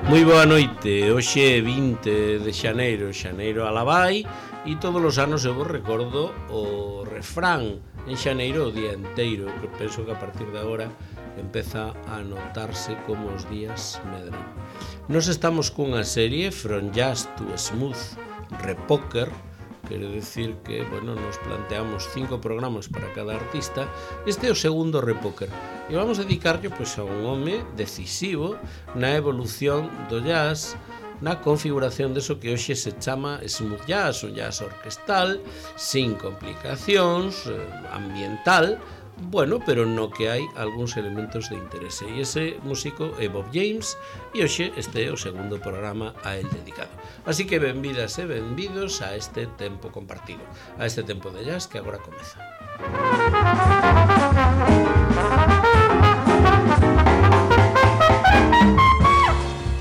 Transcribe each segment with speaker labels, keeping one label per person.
Speaker 1: Moi boa noite, hoxe é 20 de xaneiro, xaneiro alabai, e todos os anos eu vos recordo o refrán en xaneiro o día enteiro, que penso que a partir de agora empeza a notarse como os días medran. Nos estamos cunha serie From Jazz to Smooth Repoker, quero dicir que, bueno, nos planteamos 5 programas para cada artista. Este é o segundo Repoker e vamos dedicarlo pois, a un home decisivo na evolución do jazz, na configuración deso que hoxe se chama smooth jazz, un jazz orquestal, sin complicacións, ambiental, bueno, pero no que hai algúns elementos de interese. E ese músico é Bob James e hoxe este é o segundo programa a él dedicado. Así que benvidas e benvidos a este tempo compartido, a este tempo de jazz que agora comeza.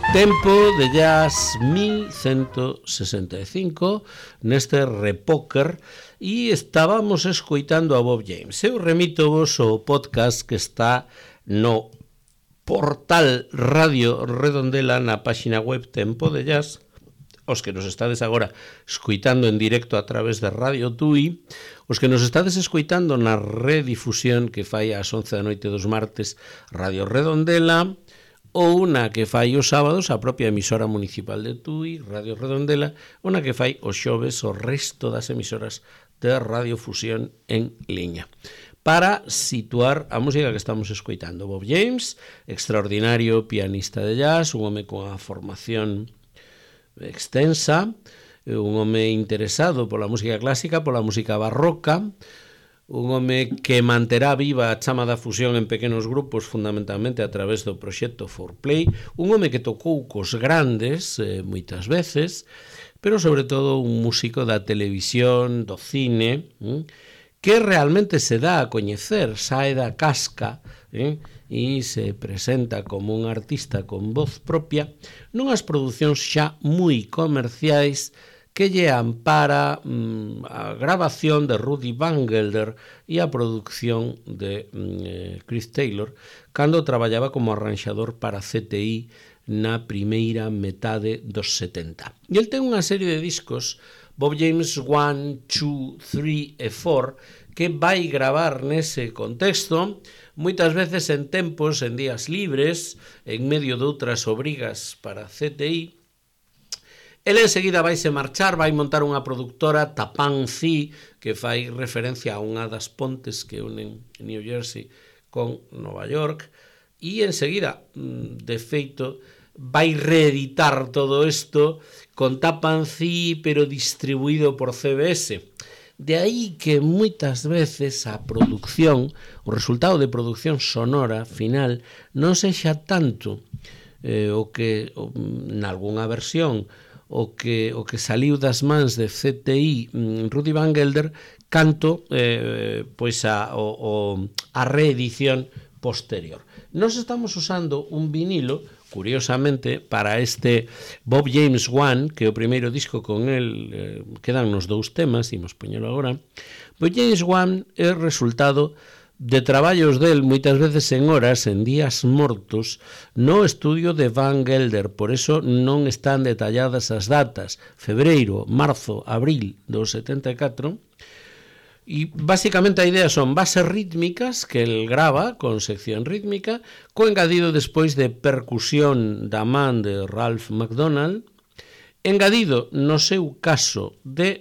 Speaker 1: Tempo de jazz 1165 neste Repoker e estábamos escoitando a Bob James. Eu remito vos o podcast que está no portal Radio Redondela na páxina web Tempo de Jazz. Os que nos estades agora escoitando en directo a través de Radio Tui, os que nos estades escoitando na redifusión que fai ás 11 da noite dos martes Radio Redondela, ou na que fai os sábados a propia emisora municipal de Tui, Radio Redondela, ou na que fai os xoves o resto das emisoras de radiofusión en liña. Para situar a música que estamos escoitando, Bob James, extraordinario pianista de jazz, un home con a formación extensa, un home interesado pola música clásica, pola música barroca, un home que manterá viva a chama da fusión en pequenos grupos fundamentalmente a través do proxecto 4Play, un home que tocou cos grandes moitas veces, pero sobre todo un músico da televisión, do cine, que realmente se dá a coñecer, sae da casca e se presenta como un artista con voz propia nunhas producións xa moi comerciais que lle ampara a grabación de Rudy Van Gelder e a producción de Chris Taylor cando traballaba como arranxador para CTI na primeira metade dos 70. E el ten unha serie de discos, Bob James 1, 2, 3 e 4, que vai gravar nese contexto, moitas veces en tempos, en días libres, en medio de outras obrigas para CTI. Ele enseguida vaise marchar, vai montar unha produtora, Tapansi, que fai referencia a unha das pontes que unen New Jersey con Nova York, e enseguida, de feito, vai reeditar todo isto con Tapansi, pero distribuído por CBS. De aí que moitas veces a produción, o resultado de produción sonora final, non sexa tanto o que, nalgúnha versión, o que saliu das mans de CTI Rudy Van Gelder canto pois a reedición posterior. Nos estamos usando un vinilo, curiosamente, para este Bob James 1, que é o primeiro disco con el, quedan nos 2 temas, imos poñelo agora. Bob James 1 é resultado de traballos del moitas veces en horas, en días mortos, no estudio de Van Gelder, por eso non están detalladas as datas, febreiro, marzo, abril do 74, e basicamente a idea son bases rítmicas que el grava con sección rítmica, co engadido despois de percusión da man de Ralph McDonald, engadido no seu caso de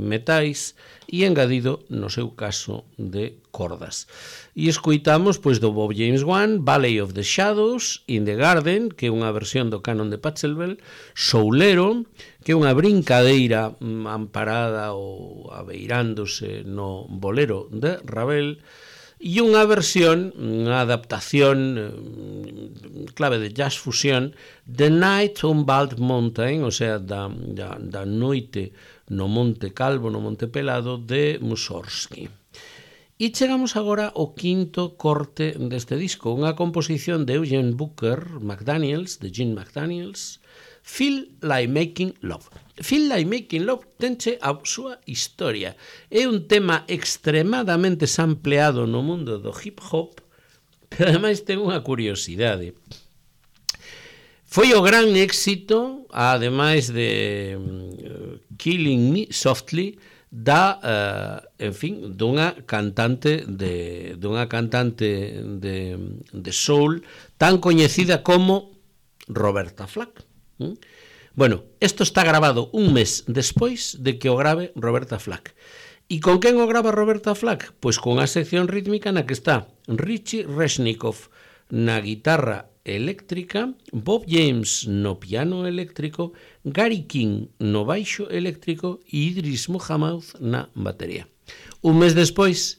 Speaker 1: metais e engadido no seu caso de cordas. E escoitamos pois do Bob James 1, Valley of the Shadows, In the Garden, que é unha versión do canon de Pachelbel, Soulero, que é unha brincadeira amparada ou abeirándose no bolero de Ravel, e unha versión, unha adaptación clave de jazz fusión, The Night on Bald Mountain, o sea, da noite no Monte Calvo, no Monte Pelado, de Mussorgsky. E chegamos agora ao quinto corte deste disco, unha composición de Eugene Booker McDaniels, de Gene McDaniels, Feel Like Making Love. Feel Like Making Love tenche a súa historia. É un tema extremadamente sampleado no mundo do hip hop, pero ademais ten unha curiosidade. Foi o gran éxito, ademais de Killing Me Softly, dunha cantante de soul tan coñecida como Roberta Flack. Bueno, isto está grabado un mes despois de que o grave Roberta Flack. E con quen o grava Roberta Flack? Pois con a sección rítmica na que está Richie Resnikov na guitarra eléctrica, Bob James no piano eléctrico, Gary King no baixo eléctrico e Idris Muhammad na batería. Un mes despois,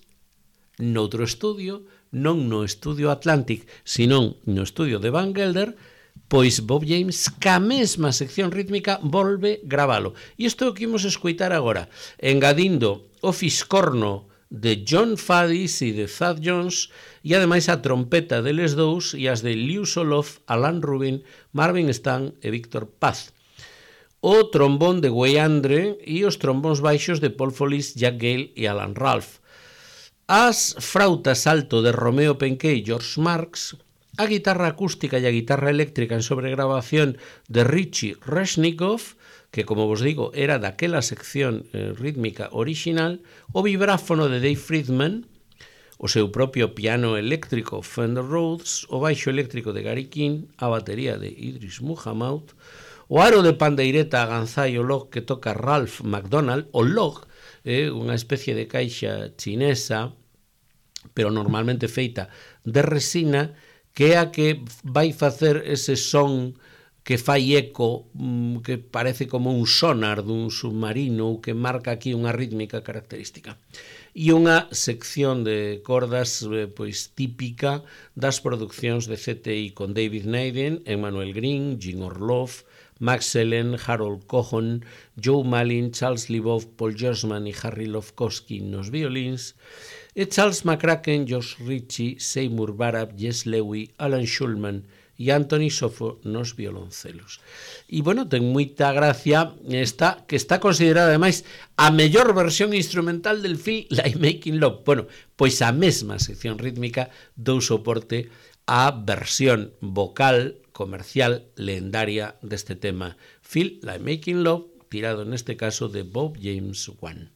Speaker 1: noutro estudio, non no estudio Atlantic, senón no estudio de Van Gelder, pois Bob James, ca mesma sección rítmica, volve gravalo. E isto é o que imos escoitar agora, engadindo o fiscorno de John Faddis e de Thad Jones e ademais a trompeta deles dous e as de Liu Soloff, Alan Rubin, Marvin Stan e Víctor Paz. O trombón de Wei Andre e os trombóns baixos de Paul Follis, Jack Gale e Alan Ralph. As frautas alto de Romeo Penquet e George Marks, a guitarra acústica e a guitarra eléctrica en sobregrabación de Richie Resnikov, que, como vos digo, era daquela sección rítmica original, o vibráfono de Dave Friedman, o seu propio piano eléctrico Fender Rhodes, o baixo eléctrico de Gary King, a batería de Idris Muhammad, o aro de pandeireta Aganzai o log que toca Ralph McDonald, o log, unha especie de caixa chinesa, pero normalmente feita de resina, que é a que vai facer ese son que fai eco, que parece como un sonar dun submarino, que marca aquí unha rítmica característica. E unha sección de cordas pois típica das producións de CTI con David Naden, Emmanuel Green, Jim Orloff, Max Ellen, Harold Cohn, Joe Malin, Charles Libov, Paul Gersman e Harry Lofkowski nos violins, e Charles McCracken, Josh Ritchie, Seymour Barab, Jess Lewy, Alan Schulman e Anthony Sofo nos violoncelos. E, bueno, ten moita gracia esta, que está considerada, ademais, a mellor versión instrumental del film Like Making Love. Bueno, pois a mesma sección rítmica dou soporte á versión vocal comercial lendaria deste tema, Feel Like Making Love, tirado neste caso de Bob James I.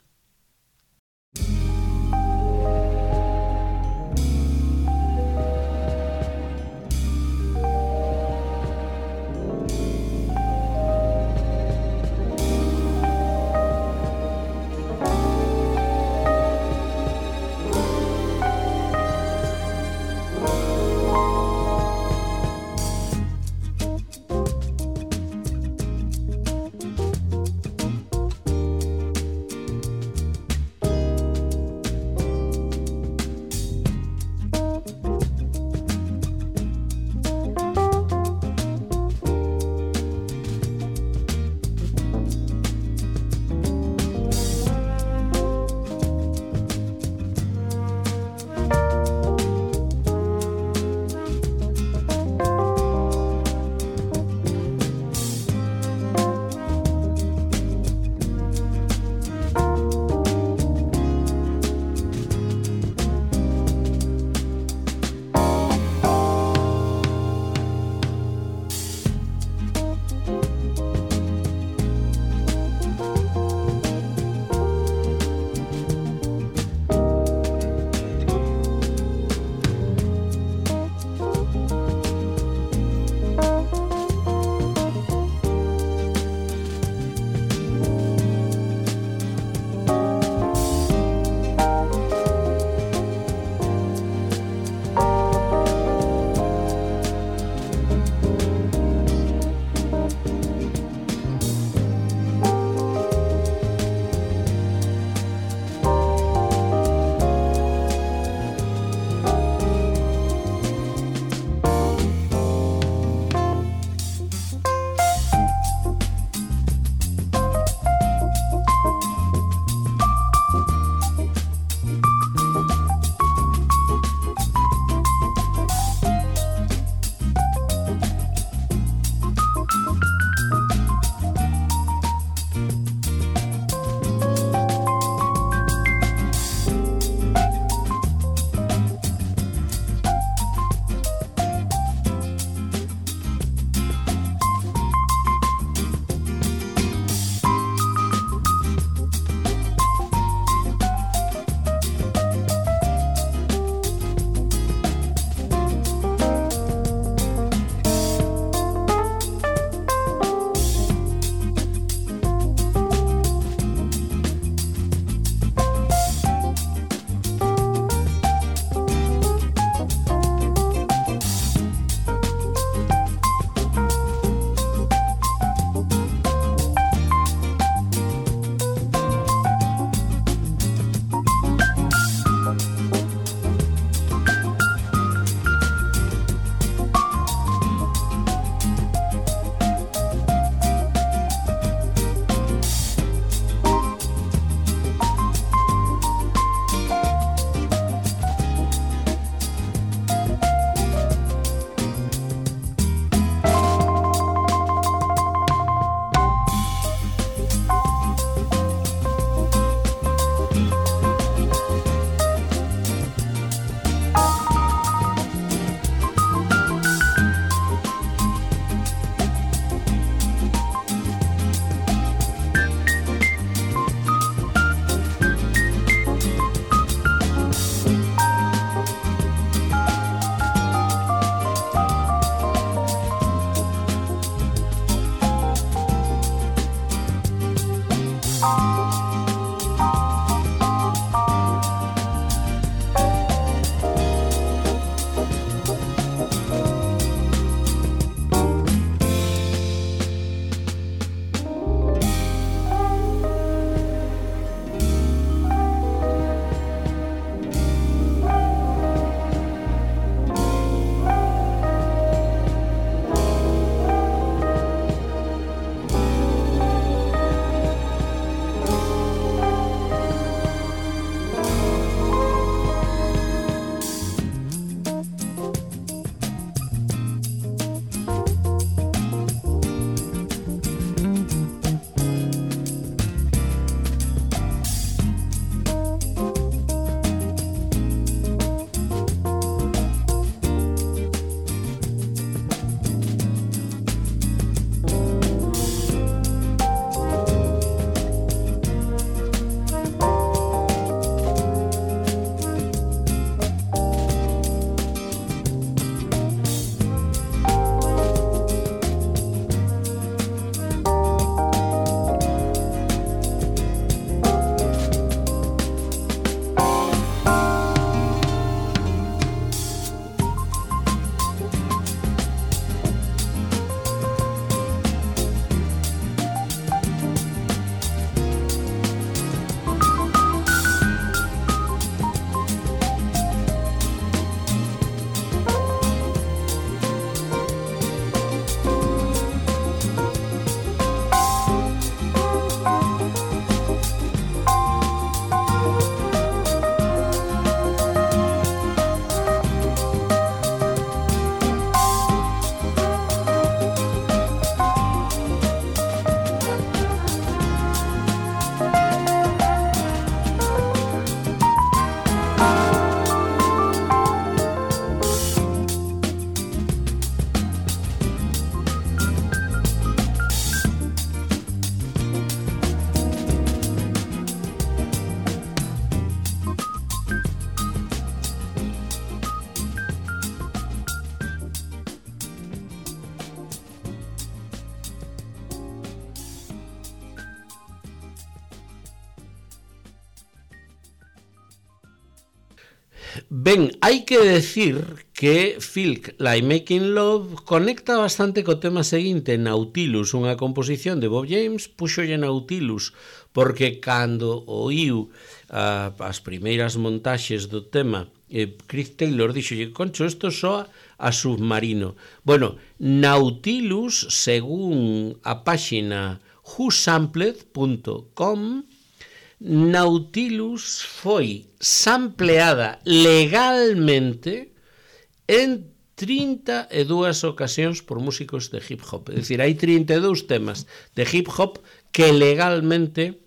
Speaker 1: Ben, hai que decir que Filk, Like Making Love, conecta bastante co tema seguinte, Nautilus, unha composición de Bob James, puxolle Nautilus, porque cando oíu as primeiras montaxes do tema, Chris Taylor dixolle, concho, isto soa a submarino. Bueno, Nautilus, según a páxina whosampled.com, Nautilus foi sampleada legalmente en 32 ocasións por músicos de hip hop. É dicir, hai 32 temas de hip hop que legalmente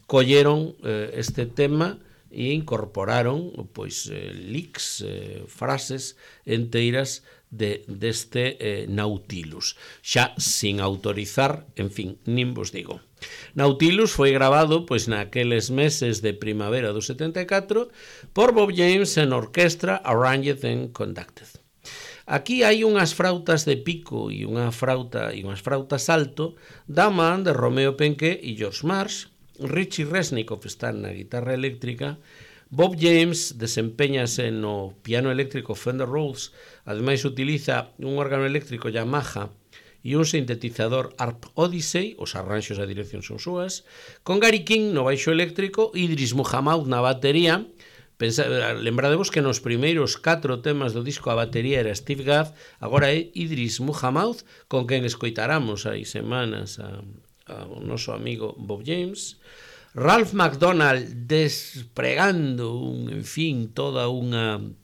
Speaker 1: colleron este tema e incorporaron pois licks, frases enteiras deste Nautilus, xa sin autorizar, en fin, nin vos digo. Nautilus foi grabado pois naqueles meses de primavera do 74 por Bob James en orquestra, arranged and conducted. Aquí hai unhas frautas de pico e unhas frautas alto da man de Romeo Penqué e George Marsh. Richie Resnick está na guitarra eléctrica. Bob James desempeñase no piano eléctrico Fender Rhodes, ademais utiliza un órgano eléctrico Yamaha e un sintetizador Harp Odyssey, os arranxos a dirección son súas, con Gary King no baixo eléctrico, Idris Muhammad na batería. Lembradevos que nos primeiros 4 temas do disco a batería era Steve Gadd, agora é Idris Muhammad, con quen escoitaramos hai semanas ao noso amigo Bob James. Ralph McDonald despregando toda un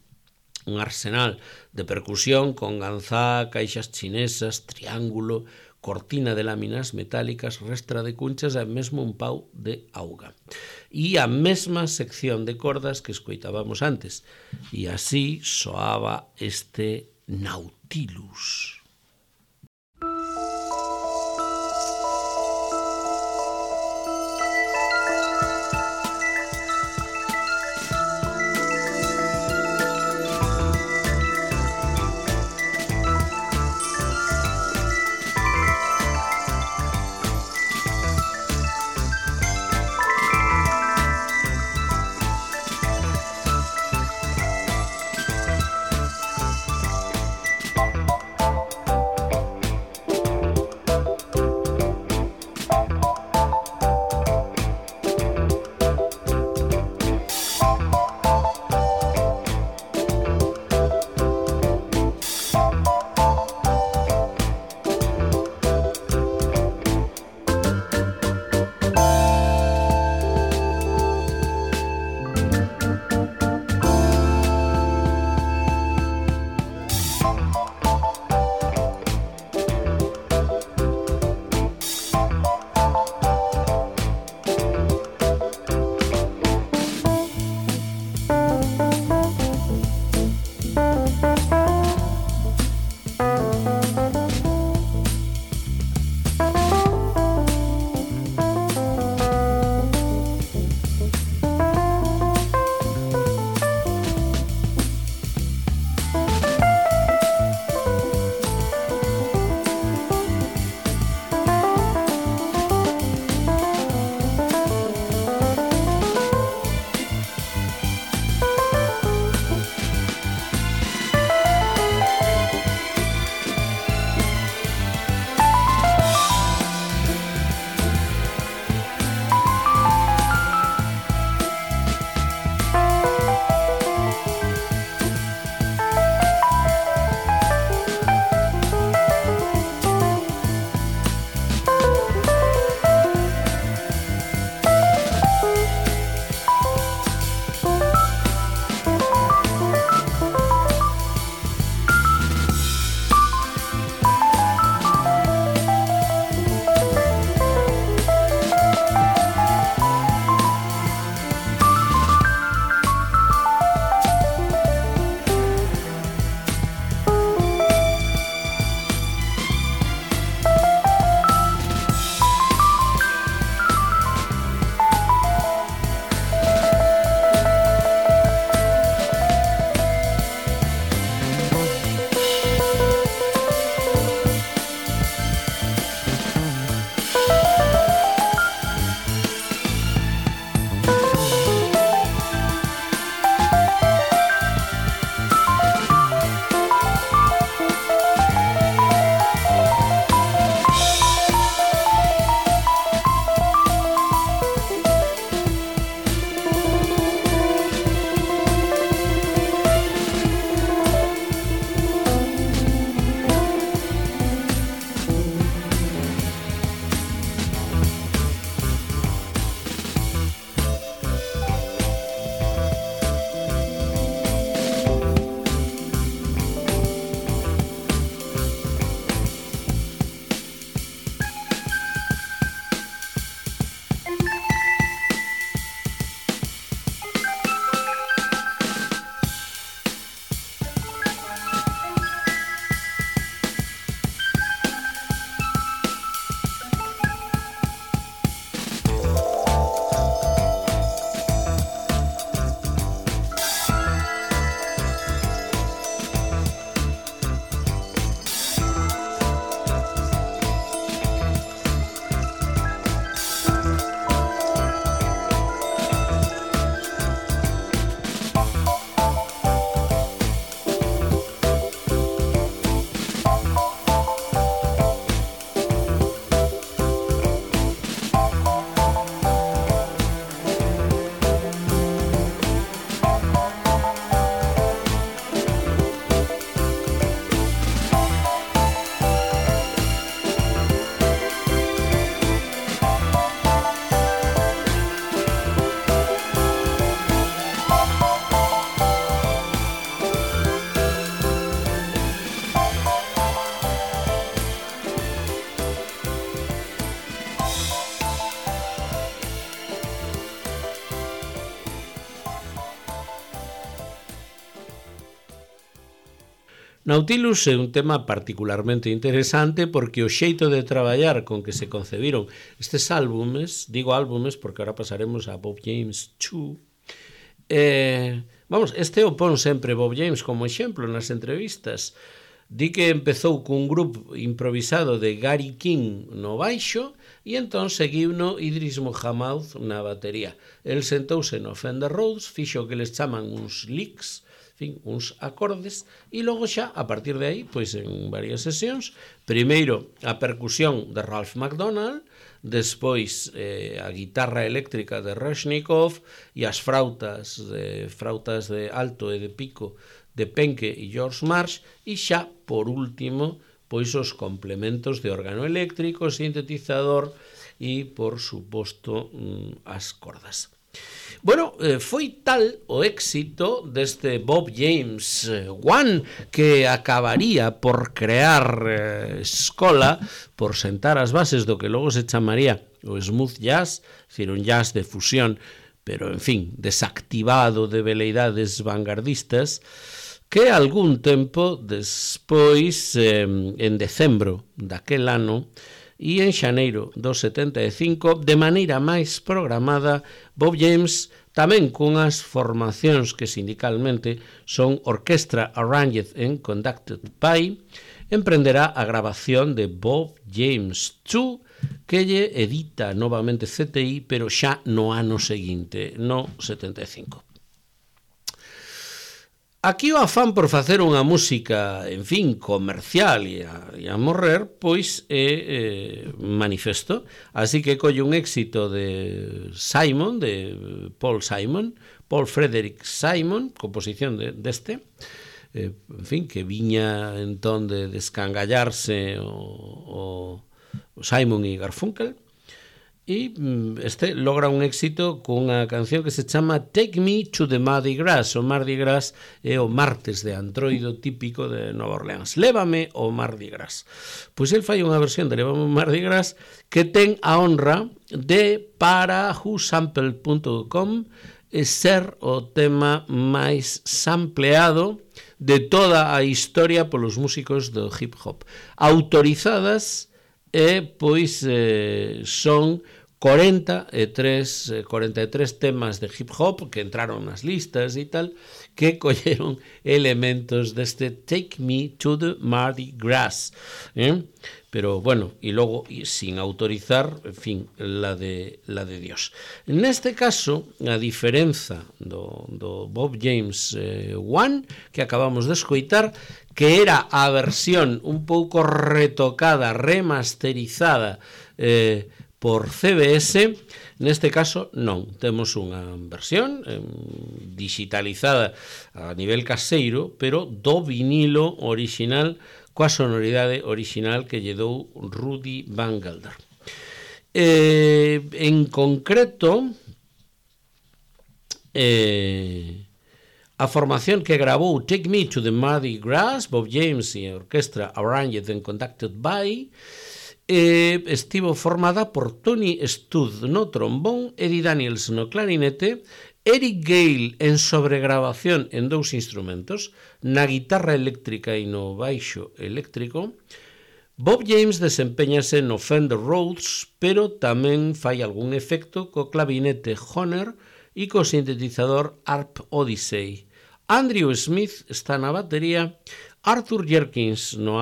Speaker 1: arsenal de percusión con ganzá, caixas chinesas, triángulo, cortina de láminas metálicas, restra de cunchas e mesmo un pau de auga. E a mesma sección de cordas que escoitábamos antes. E así soaba este Nautilus. Nautilus é un tema particularmente interesante porque o xeito de traballar con que se concebiron estes álbumes, digo álbumes porque ahora pasaremos a Bob James 2, este o pon sempre Bob James como exemplo nas entrevistas. Di que empezou cun grupo improvisado de Gary King no baixo e entón seguiuno Idris Muhammad na batería. El sentouse no Fender Rhodes, fixo o que les chaman uns licks, uns acordes, e logo xa, a partir de aí, pois en varias sesións, primeiro a percusión de Ralph McDonald, despois a guitarra eléctrica de Rushnikov e as frautas de alto e de pico de Penke e George Marsh, e xa, por último, pois os complementos de órgano eléctrico, sintetizador e, por suposto, as cordas. Bueno, foi tal o éxito deste Bob James 1 que acabaría por crear escola, por sentar as bases do que logo se chamaría o smooth jazz, decir, un jazz de fusión, pero, en fin, desactivado de veleidades vanguardistas, que algún tempo despois, en decembro daquel ano, e en xaneiro do 75, de maneira máis programada, Bob James, tamén cunhas formacións que sindicalmente son Orchestra Arranged and Conducted by, emprenderá a grabación de Bob James 2, que lle edita novamente CTI, pero xa no ano seguinte, no 75. Aquí o afán por facer unha música, en fin, comercial e a morrer, pois é manifesto. Así que colle un éxito de Simon, de Paul Frederick Simon, composición deste, en fin, que viña entón de descangallarse o Simon e Garfunkel, e este logra un éxito cunha canción que se chama Take Me to the Mardi Gras. O Mardi Gras é o martes de antroido típico de Nova Orleans. Lévame ao Mardi Gras. Pois el fai unha versión de Lévame ao Mardi Gras que ten a honra de, para whosample.com, ser o tema máis sampleado de toda a historia polos músicos do hip hop. Autorizadas pois son 43 temas de hip hop que entraron nas listas e tal, que colleron elementos deste Take Me to the Mardi Gras, pero bueno, e logo sin autorizar, en fin, la de Dios. Neste caso, a diferenza do Bob James 1 que acabamos de escoitar, que era a versión un pouco retocada, remasterizada por CBS, neste caso non, temos unha versión digitalizada a nivel caseiro, pero do vinilo original, coa sonoridade original que lle dou Rudy Van Gelder. En concreto, a formación que grabou Take Me to the Mardi Gras, Bob James e a Orchestra Arranged and Conducted by, estivo formada por Tony Stud no trombón, Eddie Daniels no clarinete, Eric Gale en sobregrabación en dous instrumentos, na guitarra eléctrica e no baixo eléctrico. Bob James desempeñase no Fender Rhodes, pero tamén fai algún efecto co clavinete Hohner e co sintetizador Harp Odyssey. Andrew Smith está na batería, Arthur Jenkins no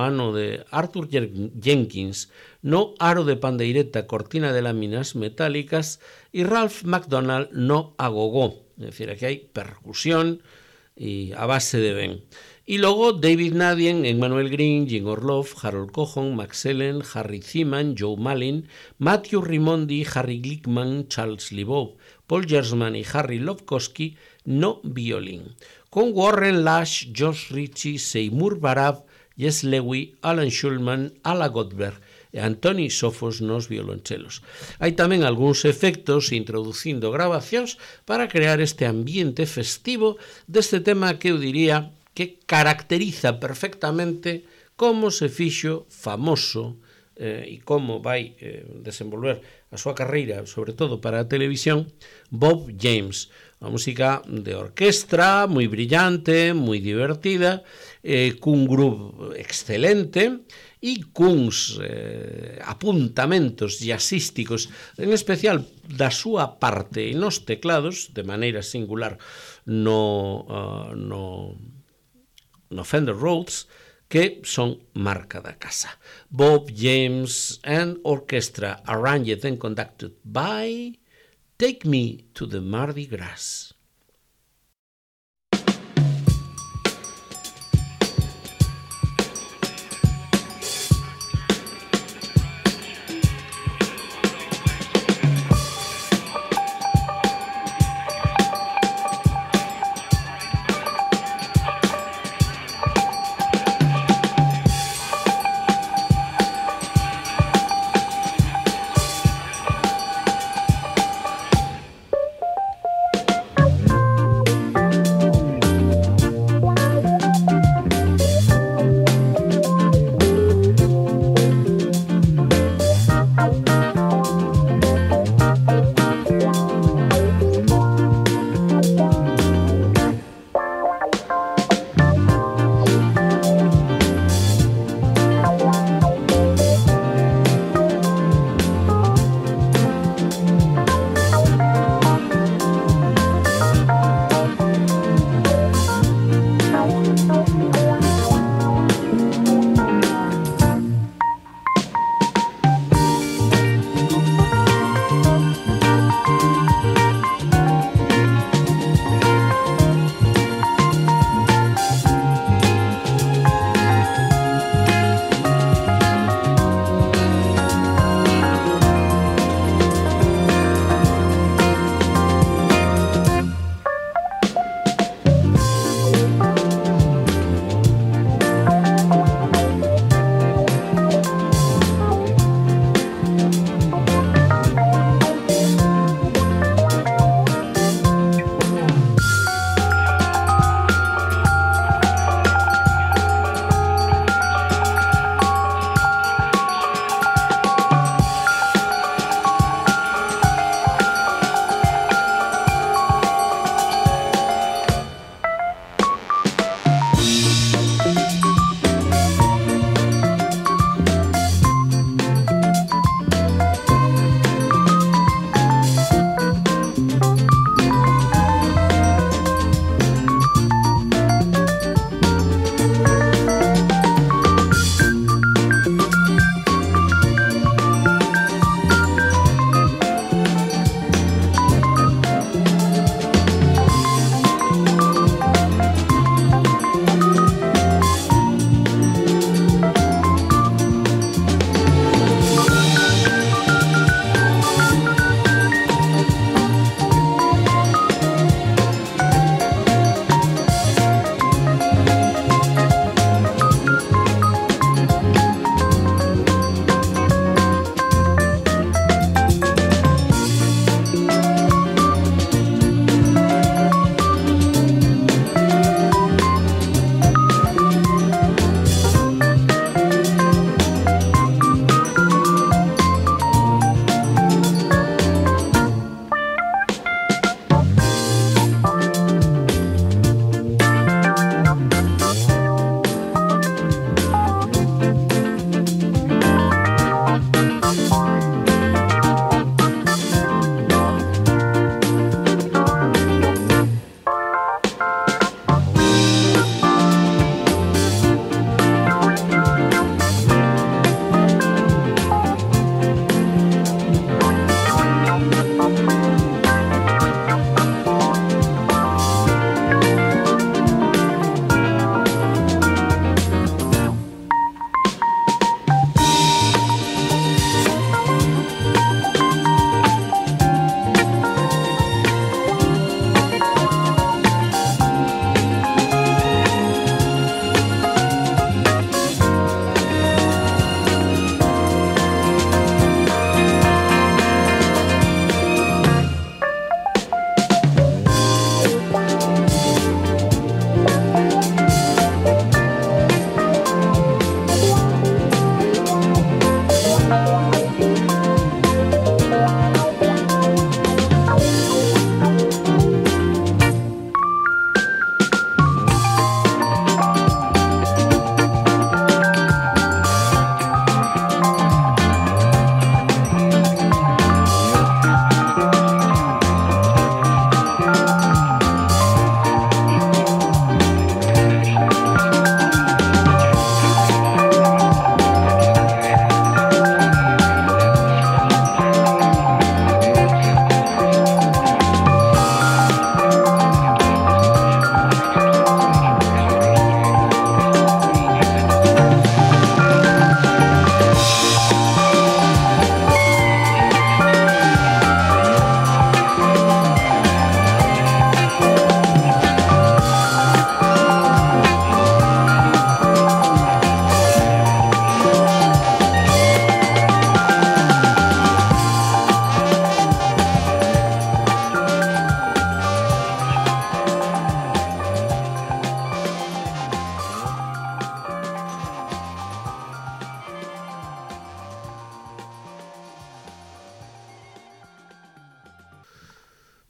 Speaker 1: aro de pandeireta cortina de láminas metálicas e Ralph McDonald no agogó, é dicir, aquí hai percusión e a base de ben. E logo David Nadien, Emmanuel Green, Jim Orloff, Harold Cohon, Max Ellen, Harry Ziman, Joe Malin, Matthew Rimondi, Harry Glickman, Charles Libov, Paul Gersman e Harry Lobkowski no violín, con Warren Lash, Josh Ritchie, Seymour Barab, Jess Lewy, Alan Schulman, Ala Goldberg e Antoni Sofos nos violonchelos. Hai tamén algúns efectos introducindo grabacións para crear este ambiente festivo deste tema que eu diría que caracteriza perfectamente como se fixo famoso e como vai desenvolver a súa carreira, sobre todo para a televisión, Bob James. Unha música de orquestra moi brillante, moi divertida, cun groove excelente e cuns apuntamentos jazzísticos, en especial da súa parte nos teclados, de maneira singular no Fender Rhodes, que son marca da casa. Bob James and Orchestra, arranged and conducted by Take Me to the Mardi Gras.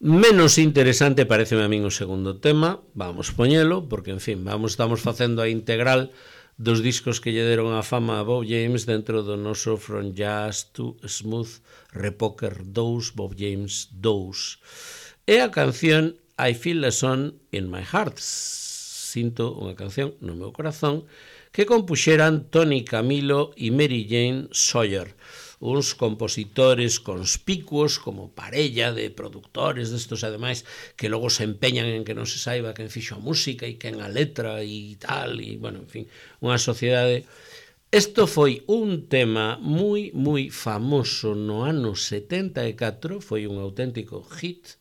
Speaker 1: Menos interesante pareceme a min o segundo tema, vamos poñelo, porque, en fin, estamos facendo a integral dos discos que lle deron a fama a Bob James dentro do noso From Jazz to Smooth Repoker 2, Bob James 2. E a canción I Feel a Song in My Heart, sinto unha canción no meu corazón, que compuxeran Tony Camilo e Mary Jane Sawyer, uns compositores conspicuos como parella de productores destos, ademais, que logo se empeñan en que non se saiba quen fixo a música e quen a letra e tal, e, bueno, en fin, unha sociedade. Isto foi un tema moi famoso no ano 74, foi un auténtico hit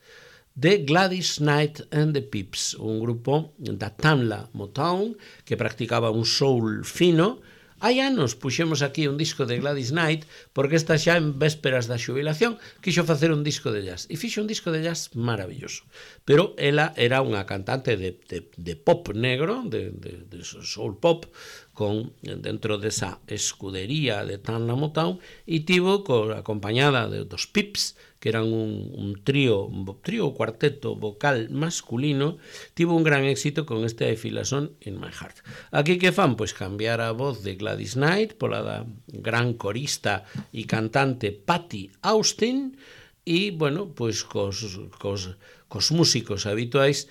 Speaker 1: de Gladys Knight and the Pips, un grupo da Tamla Motown que practicaba un soul fino. Hai anos puxemos aquí un disco de Gladys Knight porque esta xa en vésperas da xubilación quixo facer un disco de jazz e fixo un disco de jazz maravilloso, pero ela era unha cantante de pop negro, de soul pop, con dentro desa escudería de Tamla Motown, e tivo acompañada dos Pips, que eran un trío ou cuarteto vocal masculino, tivo un gran éxito con este I Feel a Song in My Heart. Aquí que fan? Pois cambiar a voz de Gladys Knight pola da gran corista e cantante Patti Austin e, bueno, pois cos músicos habituais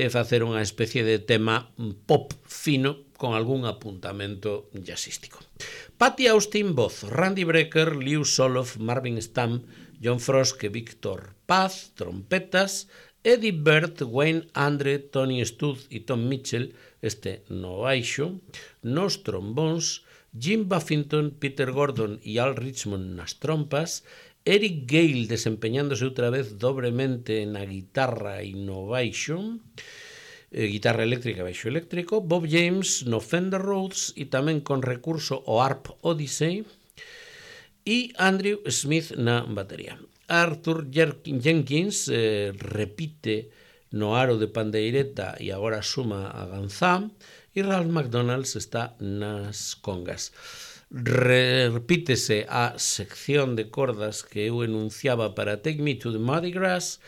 Speaker 1: facer unha especie de tema pop fino con algún apuntamento jazzístico. Patti Austin, voz, Randy Brecker, Lew Soloff, Marvin Stamp, John Frost e Victor Paz, trompetas, Eddie Bird, Wayne Andre, Tony Studd e Tom Mitchell, este no baixo, nos trombóns, Jim Buffington, Peter Gordon e Al Richmond nas trompas, Eric Gale desempeñándose outra vez dobremente na guitarra e no baixo, guitarra eléctrica e baixo eléctrico, Bob James no Fender Rhodes e tamén con recurso ao Harp Odyssey, e Andrew Smith na batería. Arthur Jenkins repite no aro de pandeireta e agora suma a ganzá, e Ralph McDonald está nas congas. Repítese a sección de cordas que eu enunciaba para Take Me to the Mardi Gras,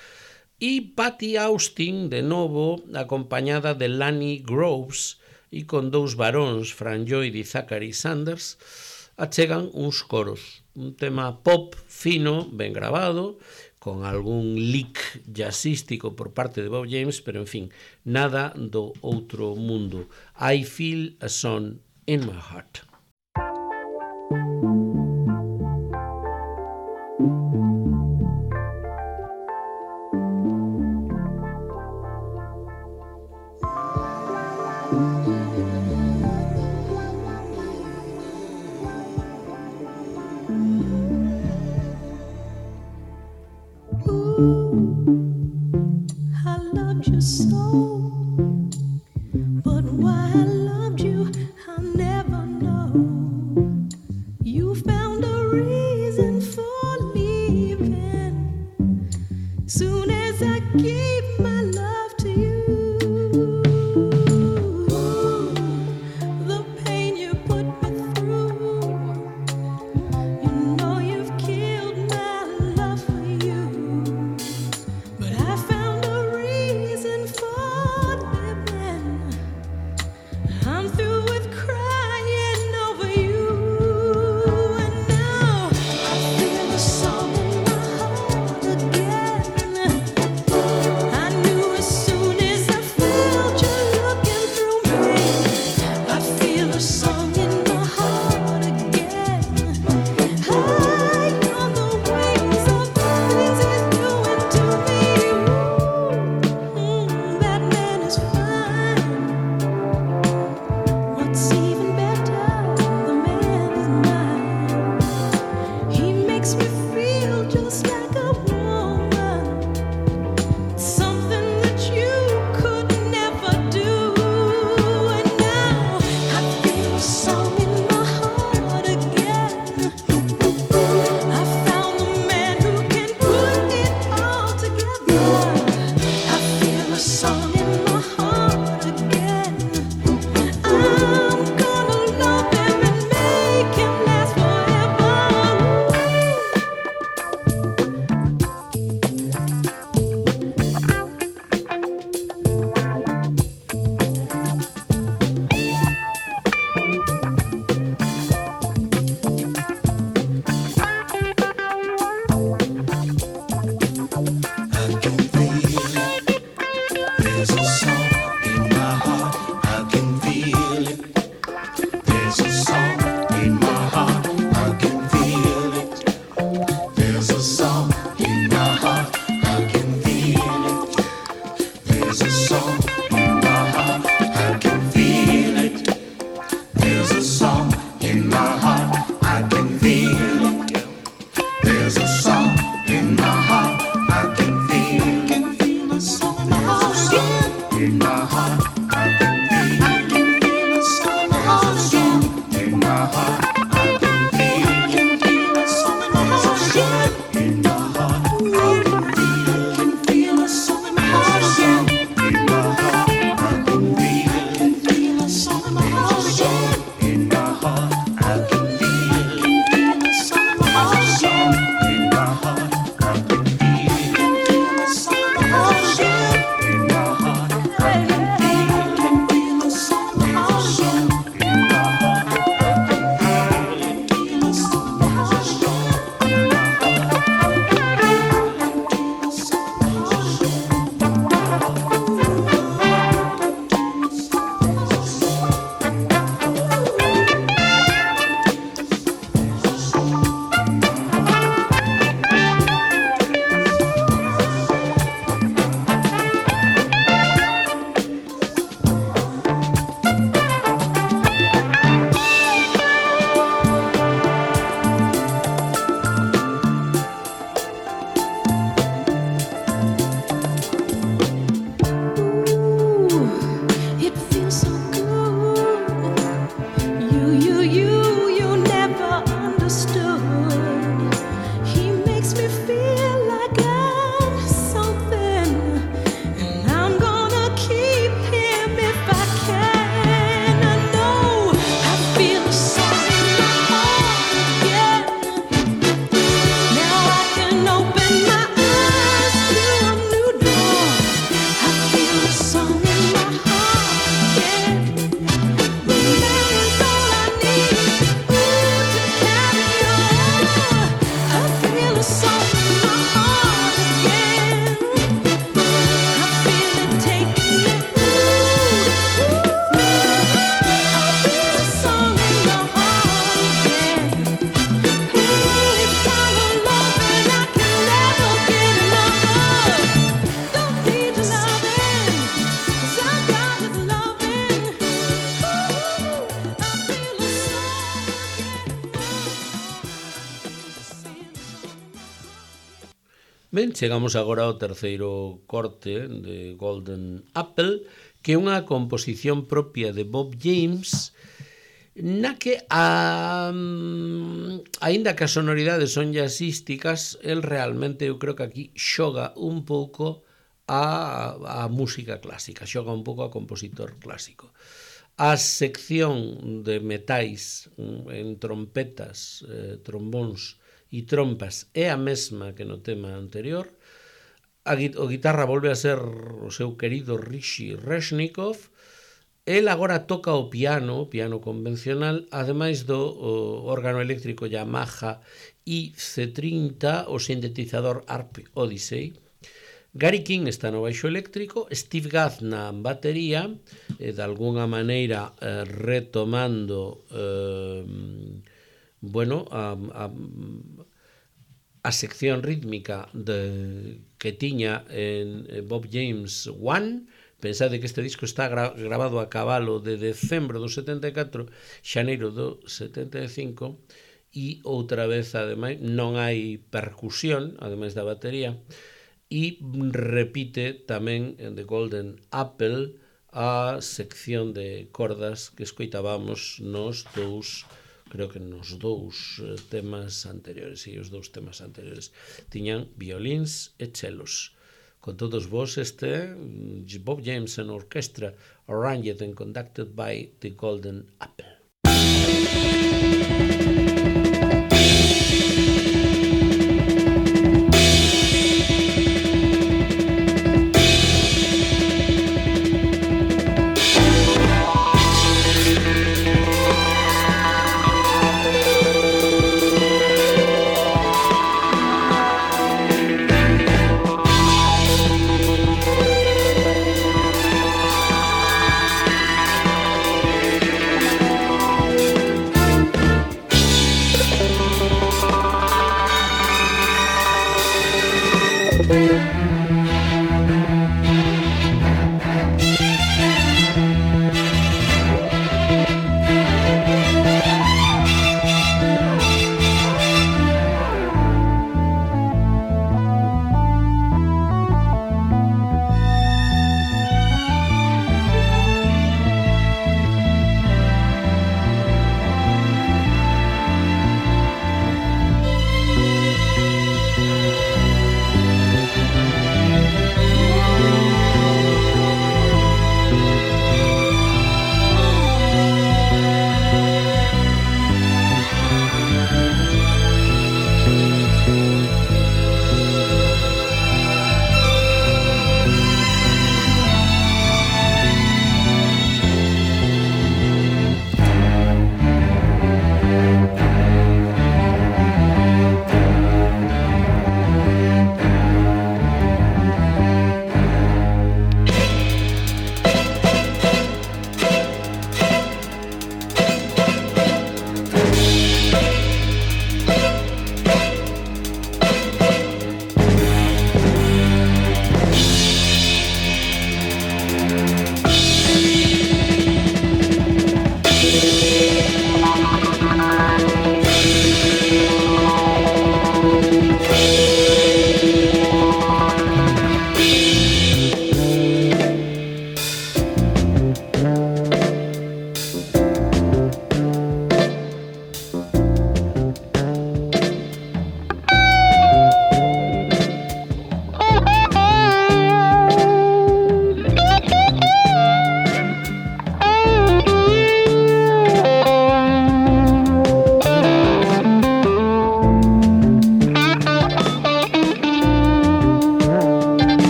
Speaker 1: e Patti Austin, de novo, acompañada de Lanny Groves e con dous varóns, Fran Lloyd e Zachary Sanders, achegan uns coros. Un tema pop fino, ben grabado, con algún lick jazzístico por parte de Bob James, pero, en fin, nada do outro mundo. I Feel a Song in My Heart.
Speaker 2: So, but why I loved you, I'll never know.
Speaker 1: Ben, chegamos agora ao terceiro corte de Golden Apple, que é unha composición propia de Bob James, na que, aínda que as sonoridades son jazzísticas, el realmente, eu creo que aquí xoga un pouco a música clásica, xoga un pouco a compositor clásico. A sección de metais en trompetas, trombóns e trompas é a mesma que no tema anterior. O guitarra volve a ser o seu querido Rishi Reshnikov. El agora toca o piano convencional, ademais do órgano eléctrico Yamaha IC30, o sintetizador Harp Odyssey. Gary King está no baixo eléctrico, Steve Gadd na batería, de alguna maneira retomando a sección rítmica que tiña en Bob James 1. Pensade que este disco está grabado a cabalo de decembro do 74, xaneiro do 75, e outra vez, ademais, non hai percusión, ademais da batería, e repite tamén en The Golden Apple a sección de cordas que escoitábamos nos dous, creo que nos dous temas anteriores, e os dous temas anteriores tiñan violíns e chelos. Con todos vos este Bob James and Orchestra, arranged and conducted by The Golden Apple.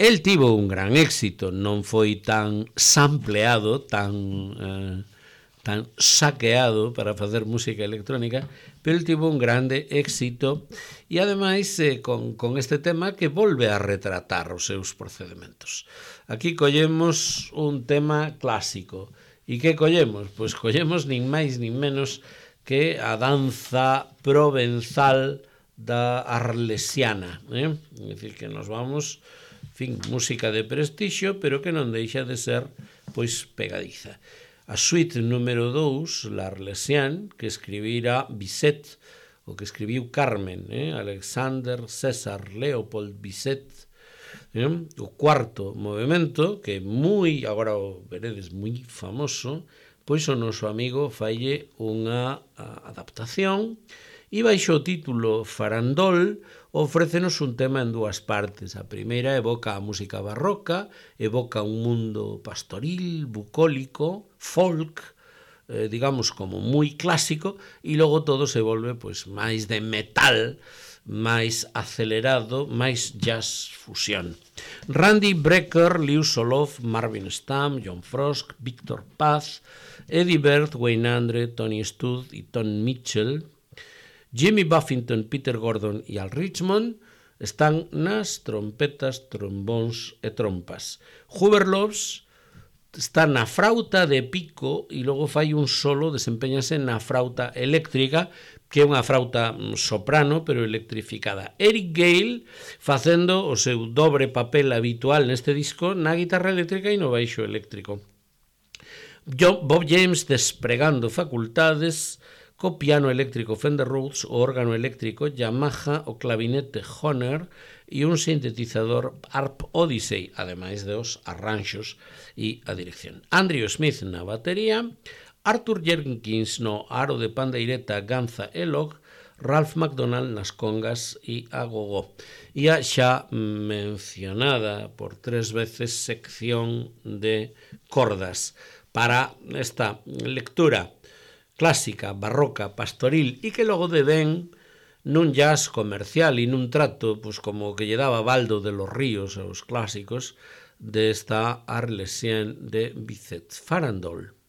Speaker 1: El tivo un gran éxito, non foi tan sampleado, tan saqueado para facer música electrónica, pero el tivo un grande éxito e ademais con este tema que volve a retratar os seus procedementos. Aquí collemos un tema clásico. E que collemos? Pois collemos nin máis nin menos que a danza provenzal da arlesiana. É dicir, que nos vamos, en fin, música de prestixio, pero que non deixa de ser pois pegadiza. A suite número 2, l'Arlésienne, que escribira Bizet, o que escribiu Carmen, Alexander César Leopold Bizet, o cuarto movimento, que moi, agora o veredes, moi famoso, pois o noso amigo falle unha adaptación e baixo o título Farandol ofrécenos un tema en dúas partes. A primeira evoca a música barroca, evoca un mundo pastoril, bucólico, folk, digamos como moi clásico, e logo todo se volve pois máis de metal, máis acelerado, máis jazz fusión. Randy Brecker, Liu Solov, Marvin Stamm, John Frost, Victor Paz, Eddie Bird, Wayne Andre, Tony Studd e Tom Mitchell, Jimmy Buffington, Peter Gordon e Al Richmond están nas trompetas, trombóns e trompas. Hubert Loves está na frauta de pico e logo fai un solo, desempeñase na frauta eléctrica, que é unha frauta soprano, pero electrificada. Eric Gale facendo o seu dobre papel habitual neste disco na guitarra eléctrica e no baixo eléctrico. Bob James despregando facultades co piano eléctrico Fender Rhodes, o órgano eléctrico Yamaha, o clavinete Hohner e un sintetizador Harp Odyssey, ademais dos arranxos e a dirección. Andrew Smith na batería, Arthur Jenkins no aro de pandeireta, ganza e log, Ralph McDonald nas congas e a gogó. E a xa mencionada por 3 veces sección de cordas para esta lectura clásica, barroca, pastoril e que logo devén nun jazz comercial e nun trato pues, como que lle daba Baldo de los Ríos aos clásicos desta Arlésienne de Bizet Farandole.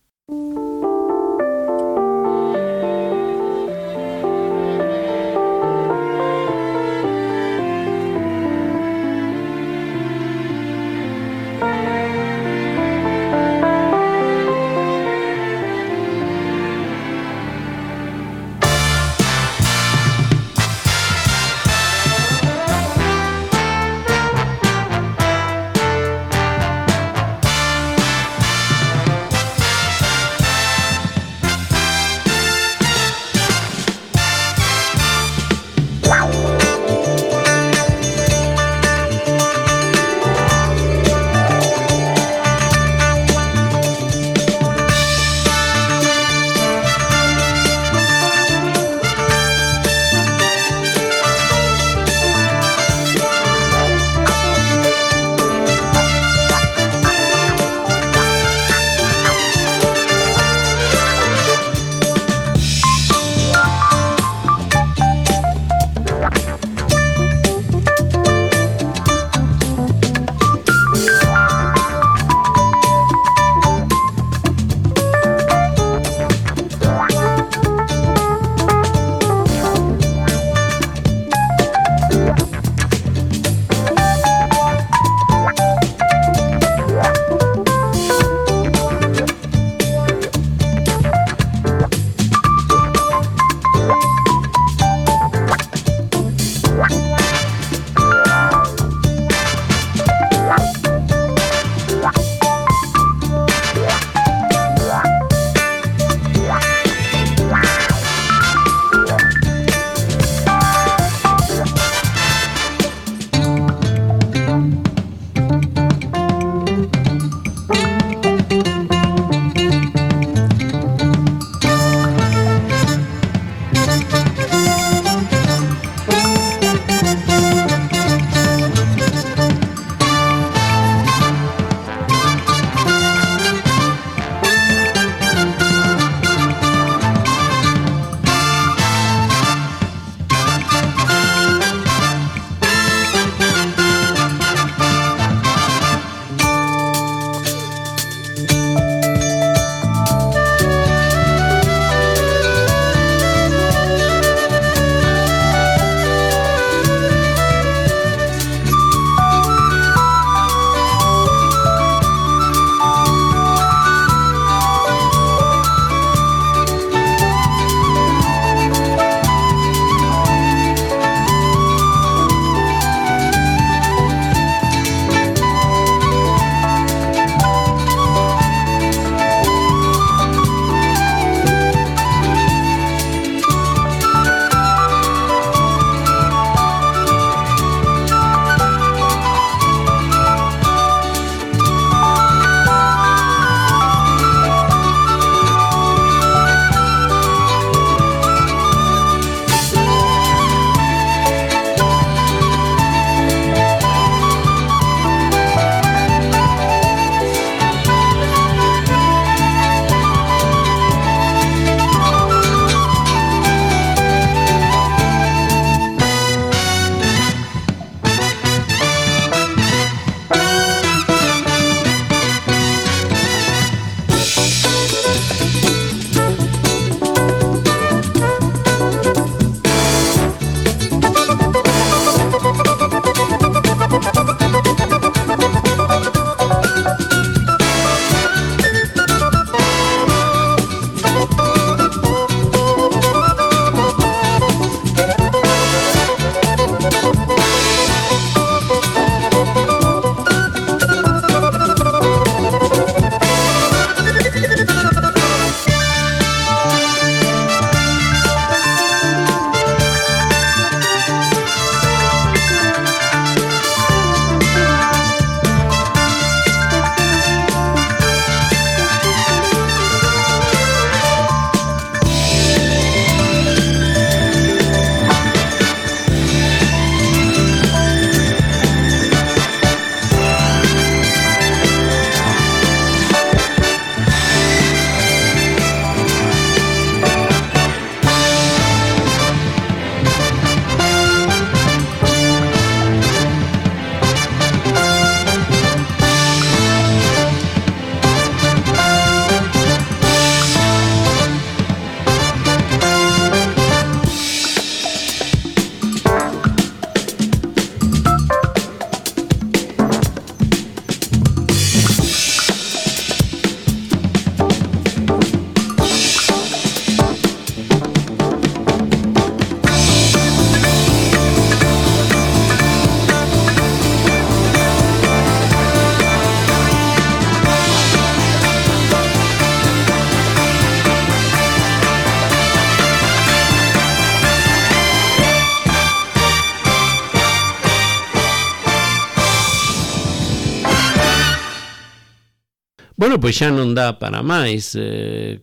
Speaker 1: Bueno, pois xa non dá para máis.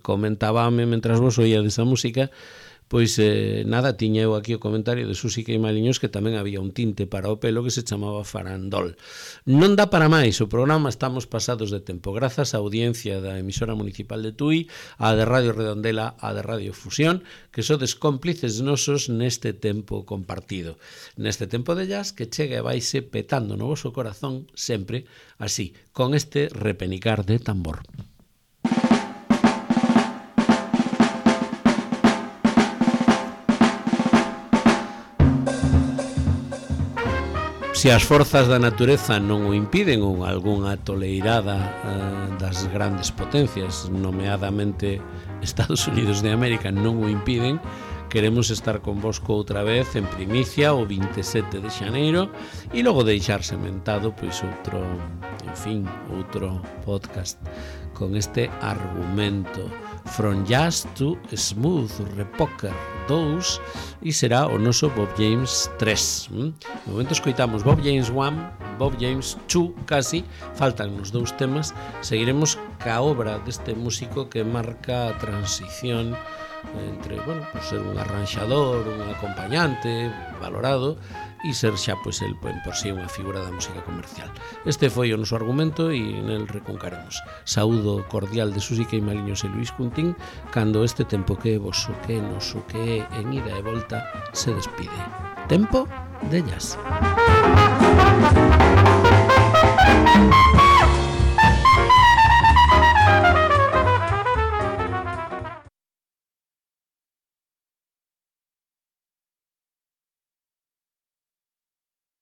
Speaker 1: Comentábame, mentras vos oíades a música, pois nada, tiña eu aquí o comentario de Susi Queimaliños que tamén había un tinte para o pelo que se chamaba farandol. Non dá para máis, o programa estamos pasados de tempo. Grazas á audiencia da emisora municipal de Tui, a de Radio Redondela, a de Radio Fusión, que sodes cómplices nosos neste tempo compartido. Neste tempo de jazz que chega e vaise petando no voso corazón sempre así, con este repenicar de tambor. Se as forzas da natureza non o impiden ou algunha toleirada das grandes potencias, nomeadamente Estados Unidos de América, non o impiden, queremos estar convosco outra vez en primicia o 27 de xaneiro e logo deixar sementado pois outro podcast con este argumento From Jazz to Smooth Repoker 2 e será o noso Bob James 3. No momento escoitamos Bob James 1, Bob James 2 casi, faltan os dous temas, seguiremos ca obra deste músico que marca a transición entre, bueno, por ser un arranxador, un acompañante valorado e ser xa, pois, el por si unha figura da música comercial. Este foi o noso argumento e nel recuncaremos. Saúdo cordial de Susi Queimaliños e Luis Cuntín cando este tempo que é voso, que é noso, que é en ida e volta se despide. Tempo de jazz.